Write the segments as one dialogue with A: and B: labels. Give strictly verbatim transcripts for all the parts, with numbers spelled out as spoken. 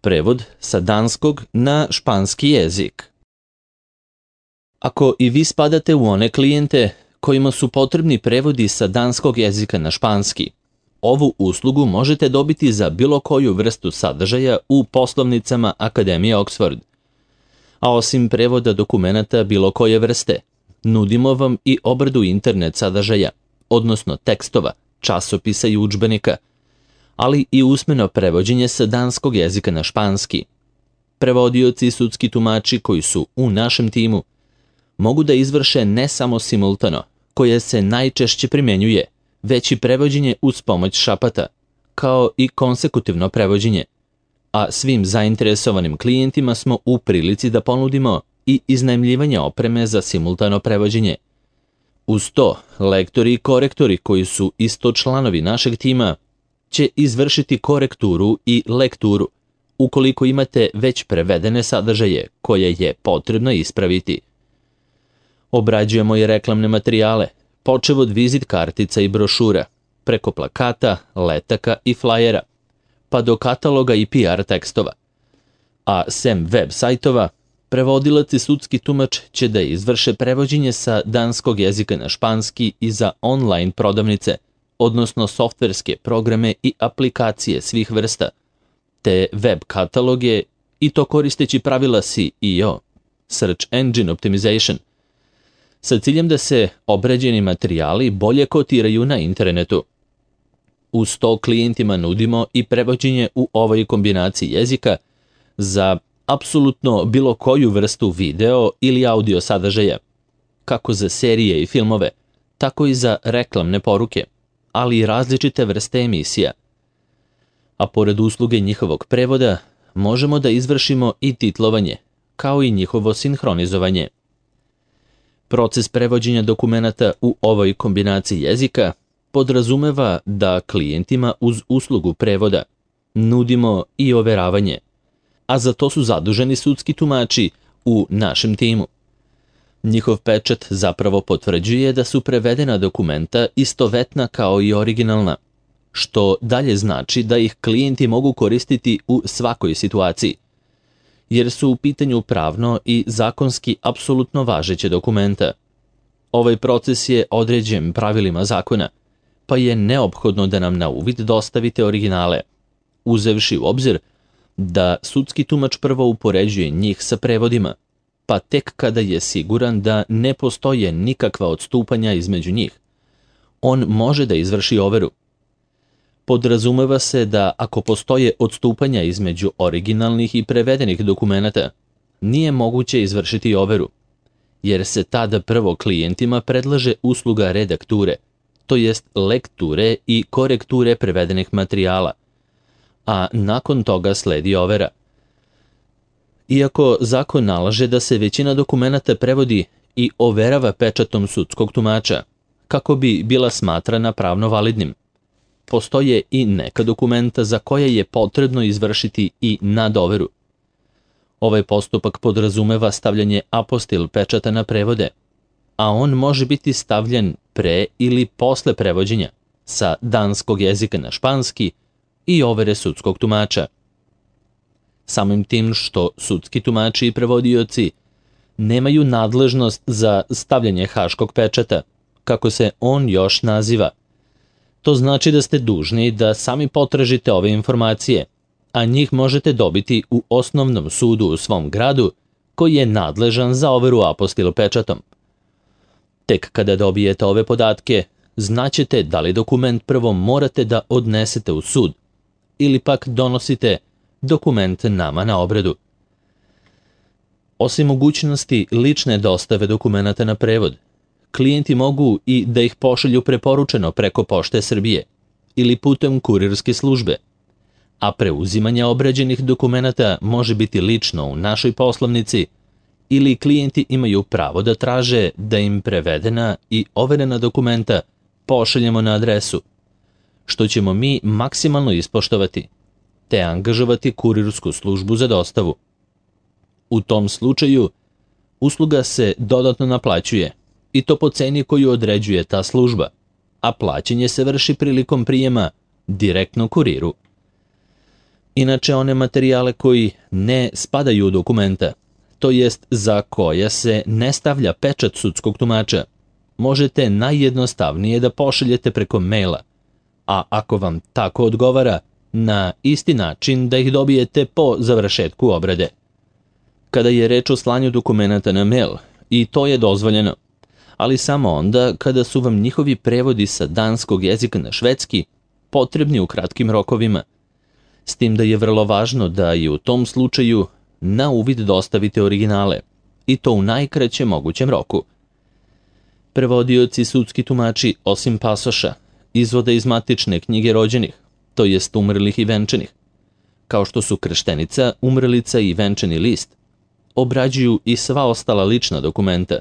A: Prevod sa danskog na španski jezik. Ako i vi spadate u one klijente kojima su potrebni prevodi sa danskog jezika na španski, ovu uslugu možete dobiti za bilo koju vrstu sadržaja u poslovnicama Akademije Oxford. A osim prevoda dokumenata bilo koje vrste, nudimo vam i obradu internet sadržaja, odnosno tekstova, časopisa i udžbenika, ali i usmeno prevođenje sa danskog jezika na španski. Prevodioci i sudski tumači koji su u našem timu mogu da izvrše ne samo simultano, koje se najčešće primjenjuje, već i prevođenje uz pomoć šapata, kao i konsekutivno prevođenje, a svim zainteresovanim klijentima smo u prilici da ponudimo i iznajmljivanje opreme za simultano prevođenje. Uz to, lektori i korektori koji su isto članovi našeg tima će izvršiti korekturu i lekturu ukoliko imate već prevedene sadržaje koje je potrebno ispraviti. Obrađujemo i reklamne materijale, počev od vizit kartica i brošura, preko plakata, letaka i flajera, pa do kataloga i P R tekstova. A sem web sajtova, prevodilac i sudski tumač će da izvrše prevođenje sa danskog jezika na španski i za online prodavnice, odnosno softverske programe i aplikacije svih vrsta, te web kataloge, i to koristeći pravila S E O, Search Engine Optimization, sa ciljem da se obrađeni materijali bolje kotiraju na internetu. Uz to klijentima nudimo i prevođenje u ovoj kombinaciji jezika za apsolutno bilo koju vrstu video ili audio sadržaja, kako za serije i filmove, tako i za reklamne poruke, ali i različite vrste emisija. A pored usluge njihovog prevoda, možemo da izvršimo i titlovanje, kao i njihovo sinhronizovanje. Proces prevođenja dokumenata u ovoj kombinaciji jezika podrazumeva da klijentima uz uslugu prevoda nudimo i overavanje, a za to su zaduženi sudski tumači u našem timu. Njihov pečat zapravo potvrđuje da su prevedena dokumenta istovetna kao i originalna, što dalje znači da ih klijenti mogu koristiti u svakoj situaciji, jer su u pitanju pravno i zakonski apsolutno važeće dokumenta. Ovaj proces je određen pravilima zakona, pa je neophodno da nam na uvid dostavite originale, uzevši u obzir da sudski tumač prvo upoređuje njih sa prevodima, pa tek kada je siguran da ne postoje nikakva odstupanja između njih, on može da izvrši overu. Podrazumeva se da ako postoje odstupanja između originalnih i prevedenih dokumenata, nije moguće izvršiti overu, jer se tada prvo klijentima predlaže usluga redakture, to jest lekture i korekture prevedenih materijala, a nakon toga sledi overa. Iako zakon nalaže da se većina dokumenata prevodi i overava pečatom sudskog tumača, kako bi bila smatrana pravno validnim, postoje i neka dokumenta za koje je potrebno izvršiti i nadoveru. Ovaj postupak podrazumeva stavljanje apostil pečata na prevode, a on može biti stavljen pre ili posle prevođenja sa danskog jezika na španski i overe sudskog tumača. Samim tim što sudski tumači i prevodioci nemaju nadležnost za stavljanje haškog pečata, kako se on još naziva. To znači da ste dužni da sami potražite ove informacije, a njih možete dobiti u osnovnom sudu u svom gradu koji je nadležan za overu apostil pečatom. Tek kada dobijete ove podatke, znaćete da li dokument prvo morate da odnesete u sud ili pak donosite dokument nama na obradu. Osim mogućnosti lične dostave dokumenata na prevod, klijenti mogu i da ih pošalju preporučeno preko Pošte Srbije ili putem kurirske službe, a preuzimanje obrađenih dokumenata može biti lično u našoj poslovnici ili klijenti imaju pravo da traže da im prevedena i overena dokumenta pošaljemo na adresu, što ćemo mi maksimalno ispoštovati, te angažovati kurirsku službu za dostavu. U tom slučaju, usluga se dodatno naplaćuje, i to po ceni koju određuje ta služba, a plaćanje se vrši prilikom prijema direktno kuriru. Inače, one materijale koji ne spadaju u dokumenta, to jest za koje se ne stavlja pečat sudskog tumača, možete najjednostavnije da pošaljete preko maila, a ako vam tako odgovara, na isti način da ih dobijete po završetku obrade. Kada je reč o slanju dokumenata na mail, i to je dozvoljeno, ali samo onda kada su vam njihovi prevodi sa danskog jezika na švedski potrebni u kratkim rokovima, s tim da je vrlo važno da i u tom slučaju na uvid dostavite originale, i to u najkraćem mogućem roku. Prevodioci sudski tumači, osim pasoša, izvode iz matične knjige rođenih, to jest umrlih i venčanih, kao što su krštenica, umrlica i venčani list, obrađuju i sva ostala lična dokumenta,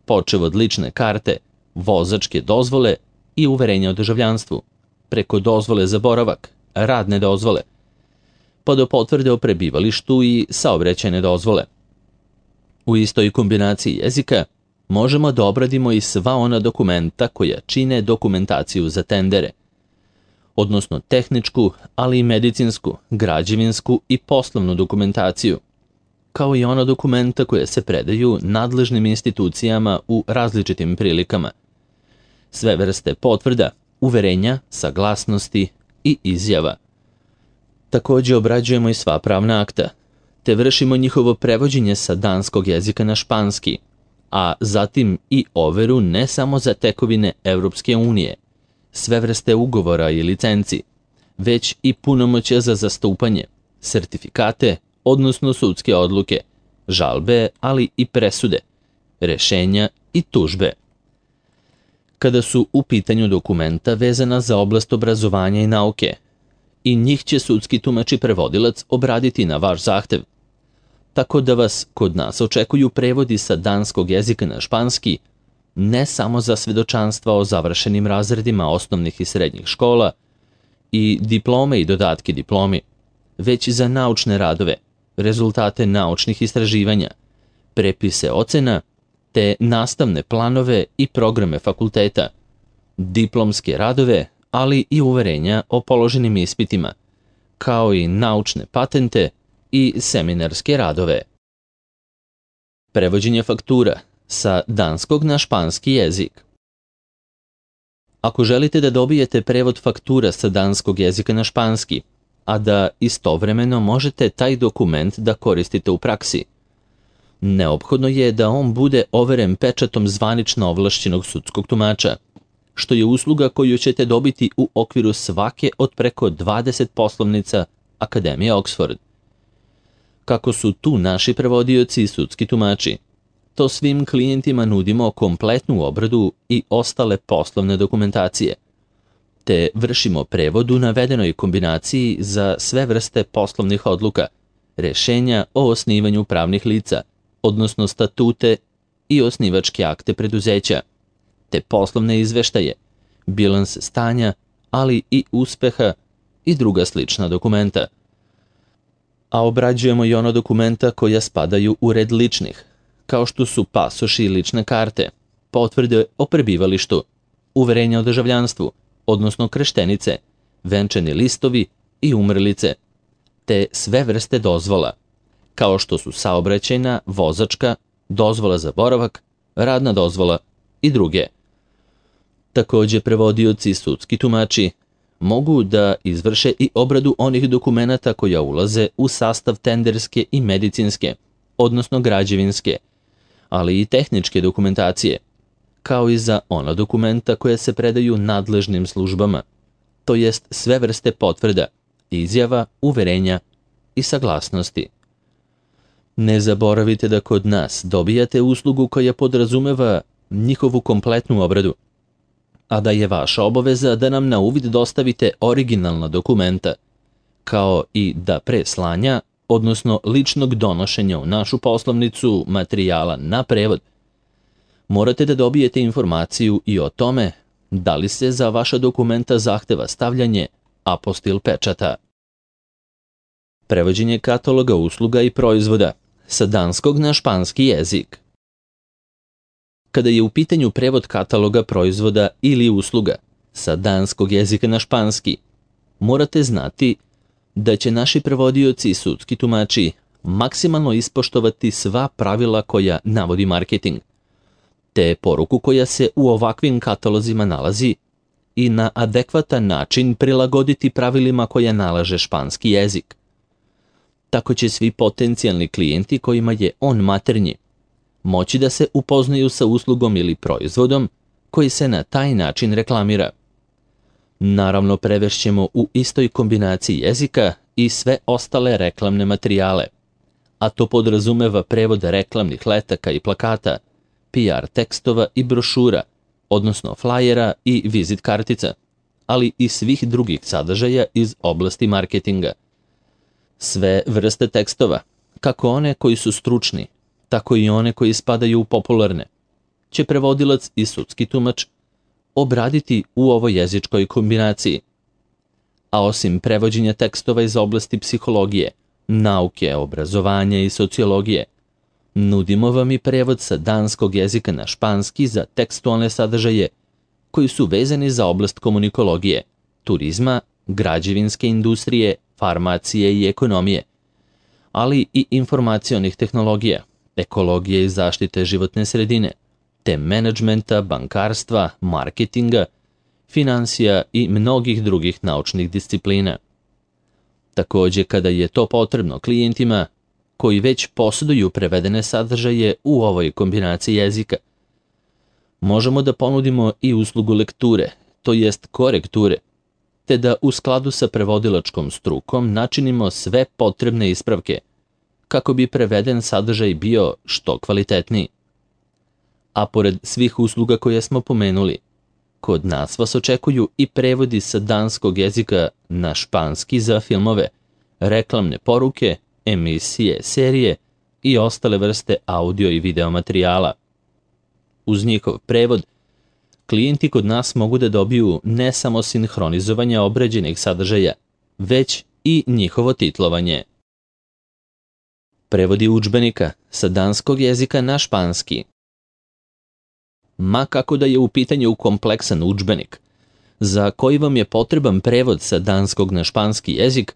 A: počev od lične karte, vozačke dozvole i uverenja o državljanstvu, preko dozvole za boravak, radne dozvole, pa do potvrde o prebivalištu i saobraćajne dozvole. U istoj kombinaciji jezika možemo da obradimo i sva ona dokumenta koja čine dokumentaciju za tendere, odnosno tehničku, ali i medicinsku, građevinsku i poslovnu dokumentaciju, kao i ona dokumenta koja se predaju nadležnim institucijama u različitim prilikama, sve vrste potvrda, uverenja, saglasnosti i izjava. Također obrađujemo i sva pravna akta, te vršimo njihovo prevođenje sa danskog jezika na španski, a zatim i overu ne samo za tekovine Evropske unije, sve vrste ugovora i licenci, već i punomoćja za zastupanje, sertifikate, odnosno sudske odluke, žalbe, ali i presude, rešenja i tužbe. Kada su u pitanju dokumenta vezana za oblast obrazovanja i nauke, i njih će sudski tumač i prevodilac obraditi na vaš zahtev, tako da vas kod nas očekuju prevodi sa danskog jezika na španski, ne samo za svedočanstva o završenim razredima osnovnih i srednjih škola i diplome i dodatke diplomi, već i za naučne radove, rezultate naučnih istraživanja, prepise ocena, te nastavne planove i programe fakulteta, diplomske radove, ali i uverenja o položenim ispitima, kao i naučne patente i seminarske radove. Prevođenje faktura sa danskog na španski jezik. Ako želite da dobijete prevod faktura sa danskog jezika na španski, a da istovremeno možete taj dokument da koristite u praksi, neophodno je da on bude overen pečatom zvanično ovlašćenog sudskog tumača, što je usluga koju ćete dobiti u okviru svake od preko dvadeset poslovnica Akademije Oxford. Kako su tu naši prevodioci i sudski tumači, to svim klijentima nudimo kompletnu obradu i ostale poslovne dokumentacije, te vršimo prevod u navedenoj kombinaciji za sve vrste poslovnih odluka, rešenja o osnivanju pravnih lica, odnosno statute i osnivačke akte preduzeća, te poslovne izveštaje, bilans stanja, ali i uspeha i druga slična dokumenta. A obrađujemo i ono dokumenta koja spadaju u red ličnih, kao što su pasoši i lične karte, potvrde o prebivalištu, uverenja o državljanstvu, odnosno krštenice, venčani listovi i umrlice, te sve vrste dozvola, kao što su saobraćajna, vozačka, dozvola za boravak, radna dozvola i druge. Također prevodioci i sudski tumači mogu da izvrše i obradu onih dokumenata koja ulaze u sastav tenderske i medicinske, odnosno građevinske, ali i tehničke dokumentacije, kao i za ona dokumenta koja se predaju nadležnim službama, to jest sve vrste potvrda, izjava, uverenja i saglasnosti. Ne zaboravite da kod nas dobijate uslugu koja podrazumeva njihovu kompletnu obradu, a da je vaša obaveza da nam na uvid dostavite originalna dokumenta, kao i da pre slanja, odnosno ličnog donošenja u našu poslovnicu materijala na prevod, morate da dobijete informaciju i o tome da li se za vaša dokumenta zahteva stavljanje apostil pečata. Prevođenje kataloga usluga i proizvoda sa danskog na španski jezik. Kada je u pitanju prevod kataloga proizvoda ili usluga sa danskog jezika na španski, morate znati da će naši prevodioci i sudski tumači maksimalno ispoštovati sva pravila koja navodi marketing, te poruku koja se u ovakvim katalozima nalazi i na adekvatan način prilagoditi pravilima koja nalaže španski jezik. Tako će svi potencijalni klijenti kojima je on maternji moći da se upoznaju sa uslugom ili proizvodom koji se na taj način reklamira. Naravno, prevešćemo u istoj kombinaciji jezika i sve ostale reklamne materijale, a to podrazumeva prevod reklamnih letaka i plakata, P R tekstova i brošura, odnosno flajera i vizit kartica, ali i svih drugih sadržaja iz oblasti marketinga. Sve vrste tekstova, kako one koji su stručni, tako i one koji spadaju u popularne, će prevodilac i sudski tumač obraditi u ovoj jezičkoj kombinaciji. A osim prevođenja tekstova iz oblasti psihologije, nauke, obrazovanja i sociologije, nudimo vam i prevod sa danskog jezika na španski za tekstualne sadržaje koji su vezani za oblast komunikologije, turizma, građevinske industrije, farmacije i ekonomije, ali i informacionih tehnologija, ekologije i zaštite životne sredine, te menadžmenta, bankarstva, marketinga, finansija i mnogih drugih naučnih disciplina. Takođe, kada je to potrebno klijentima koji već posjeduju prevedene sadržaje u ovoj kombinaciji jezika, možemo da ponudimo i uslugu lekture, to jest korekture, te da u skladu sa prevodilačkom strukom načinimo sve potrebne ispravke kako bi preveden sadržaj bio što kvalitetniji. A pored svih usluga koje smo pomenuli, kod nas vas očekuju i prevodi sa danskog jezika na španski za filmove, reklamne poruke, emisije, serije i ostale vrste audio i video materijala. Uz njihov prevod, klijenti kod nas mogu da dobiju ne samo sinhronizovanje obrađenih sadržaja, već i njihovo titlovanje. Prevodi udžbenika sa danskog jezika na španski. Ma kako da je u pitanju kompleksan udžbenik, za koji vam je potreban prevod sa danskog na španski jezik,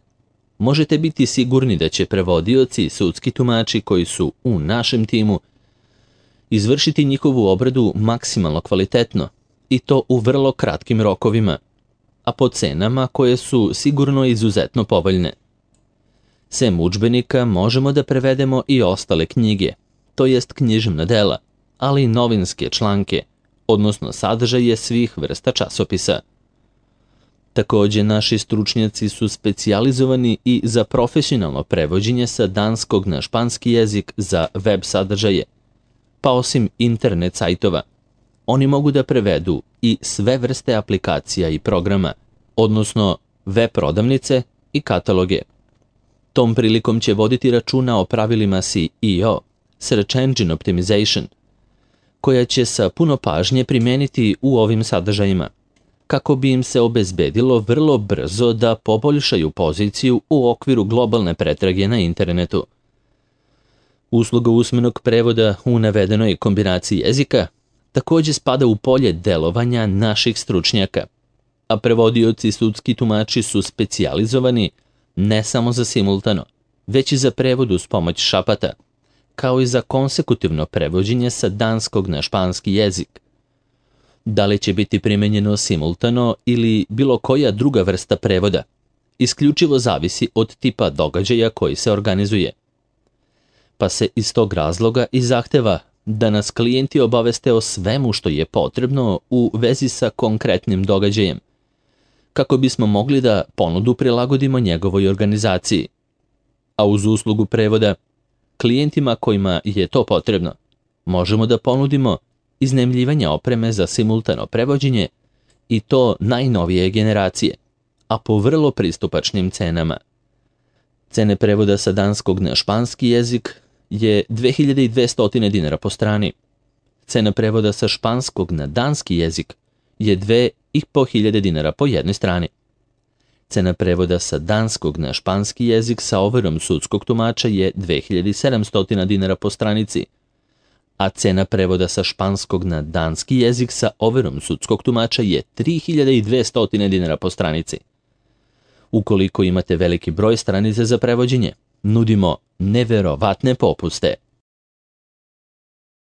A: možete biti sigurni da će prevodioci i sudski tumači koji su u našem timu izvršiti njihovu obradu maksimalno kvalitetno i to u vrlo kratkim rokovima, a po cenama koje su sigurno izuzetno povoljne. Sem udžbenika možemo da prevedemo i ostale knjige, to jest književna dela, ali i novinske članke, odnosno sadržaje svih vrsta časopisa. Takođe, naši stručnjaci su specijalizovani i za profesionalno prevođenje sa danskog na španski jezik za web sadržaje, pa osim internet sajtova, oni mogu da prevedu i sve vrste aplikacija i programa, odnosno web prodavnice i kataloge. Tom prilikom će voditi računa o pravilima S E O, Search Engine Optimization, koja će sa puno pažnje primijeniti u ovim sadržajima, kako bi im se obezbedilo vrlo brzo da poboljšaju poziciju u okviru globalne pretrage na internetu. Usluga usmenog prevoda u navedenoj kombinaciji jezika takođe spada u polje delovanja naših stručnjaka, a prevodioci i sudski tumači su specijalizovani ne samo za simultano, već i za prevod uz pomoć šapata, kao i za konsekutivno prevođenje sa danskog na španski jezik. Da li će biti primenjeno simultano ili bilo koja druga vrsta prevoda, isključivo zavisi od tipa događaja koji se organizuje. Pa se iz tog razloga i zahteva da nas klijenti obaveste o svemu što je potrebno u vezi sa konkretnim događajem, kako bismo mogli da ponudu prilagodimo njegovoj organizaciji. A uz uslugu prevoda, klijentima kojima je to potrebno, možemo da ponudimo iznajmljivanje opreme za simultano prevođenje i to najnovije generacije, a po vrlo pristupačnim cenama. Cene prevoda sa danskog na španski jezik je dve hiljade dvesta dinara po strani. Cena prevoda sa španskog na danski jezik je dve hiljade petsto dinara po jednoj strani. Cena prevoda sa danskog na španski jezik sa overom sudskog tumača je dve hiljade sedamsto dinara po stranici, a cena prevoda sa španskog na danski jezik sa overom sudskog tumača je tri hiljade dvesta dinara po stranici. Ukoliko imate veliki broj stranica za prevođenje, nudimo neverovatne popuste.